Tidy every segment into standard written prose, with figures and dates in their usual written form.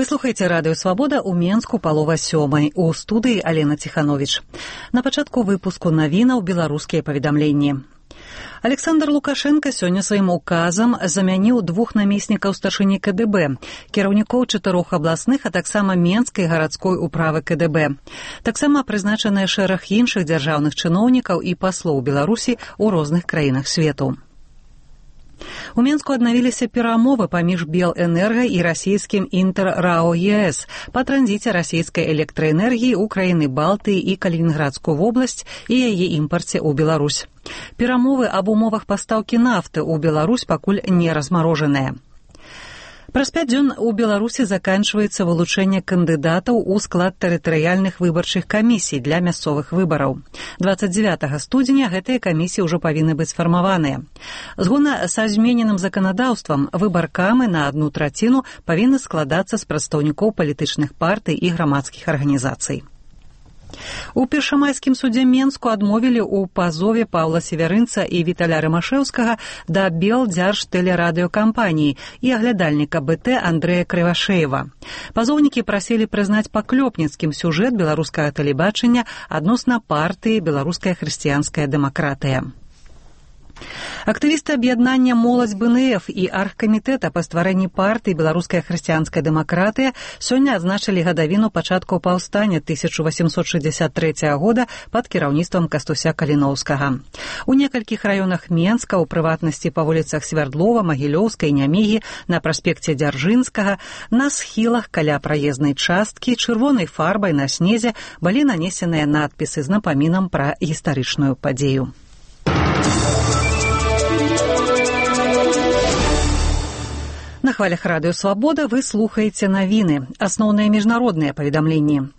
Вы слухаеце радыё «Свабода» ў Менску палова сёмай. У студыі Алена Ціхановіч. На пачатку выпуску навінаў беларускія паведамленні. Александр Лукашенко сёння сваім указам замяніў 2 намеснікаў старшыні КДБ, кіраўнікоў 4 абласных, а таксама Менскай гарадской управы КДБ. Таксама прызначаныя шэраг іншых дзяржаўных чыноўнікаў і паслоў Беларусі ў розных краінах свету. У Менску аднавіліся перамовы паміж Белэнерга і расійскім Інтэр-РАО ЕС па транзіце расійскай электраэнергіі ў краіны Балтыі і Калінінградскую вобласць і яе імпарце ў Беларусь. Перамовы аб умовах пастаўкі нафты ў Беларусь пакуль не размарожаныя. Праз 5 дзён у Беларусі заканчваецца вылучэнне кандыдатаў у склад тэрытарыяльных выбарчых камісій для мясцовых выбараў. 29 студзеня гэтыя камісіі ўжо павінны быць сфармаваныя. Згодна са змененым заканадаўствам, выбаркамы на 1/3 павінны складацца з прадстаўнікоў палітычных партый і грамадскіх арганізацый. У першамайскім судзе Менску адмовілі ў пазове Паўла Северынца і Віталя Рымашэўскага да Белдзяржтэлерадыёкампаніі і аглядальніка БТ Андрэя Крывашэева. Пазоўнікі прасілі прызнаць паклёпніцкім сюжэт беларускага тэлебачання адносна партыі «Беларуская хрысціянская дэмакратыя». Актывісты аб'яднання «Моладзь БНФ» і аргкамітэта па стварэнні партыі «Беларуская хрысціянская дэмакратыя» сёння адзначылі гадавіну пачатку паўстання 1863 года пад кіраўніцтвам Кастуся Каліноўскага. У некалькіх раёнах Менска, у прыватнасці па вуліцах Свярдлова, Магілёўскай, Нямігі, на праспекце Дзяржынскага, на схілах каля праезнай часткі чырвонай фарбай на снезе былі нанесеныя надпісы з напамінам пра гістарычную падзею. На хвалях радыё «Свабода» вы слухаеце навіны, асноўныя міжнародныя паведамленні.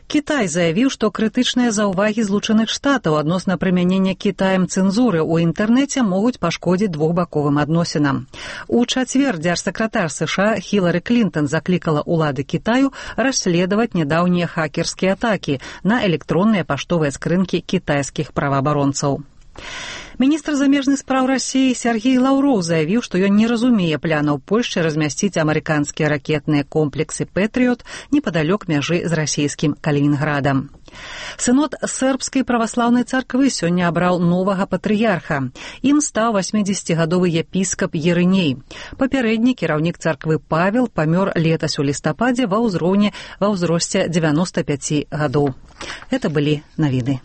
Кітай заявіў, што крытычныя заўвагі Злучаных Штатаў адносна прымянення Кітаем цэнзуры ў інтэрнэце могуць пашкодзіць двухбаковым адносінам. У чацвер дзяржсакратар США Хілары Клінтон заклікала ўлады Кітаю расследаваць нядаўнія хакерскія атакі на электронныя паштовыя скрынкі кітайскіх праваабаронцаў. Міністр замежных спраў Расіі Сергей Лаўроў заявіў, што ён не разумее планаў Польшчы размясціць амерыканскія ракетныя комплексы «Пэтрыёт» непадалёк мяжы з расійскім Калінінградам. Сынод сербскай праваслаўнай царквы сёння абраў новага патрыярха. Ім стаў 80-гадовы епіскап Ерыней. Папярэдні кіраўнік царквы Павел памёр летась у лістападзе ва ўзросце 95 гадоў. Гэта былі навіны.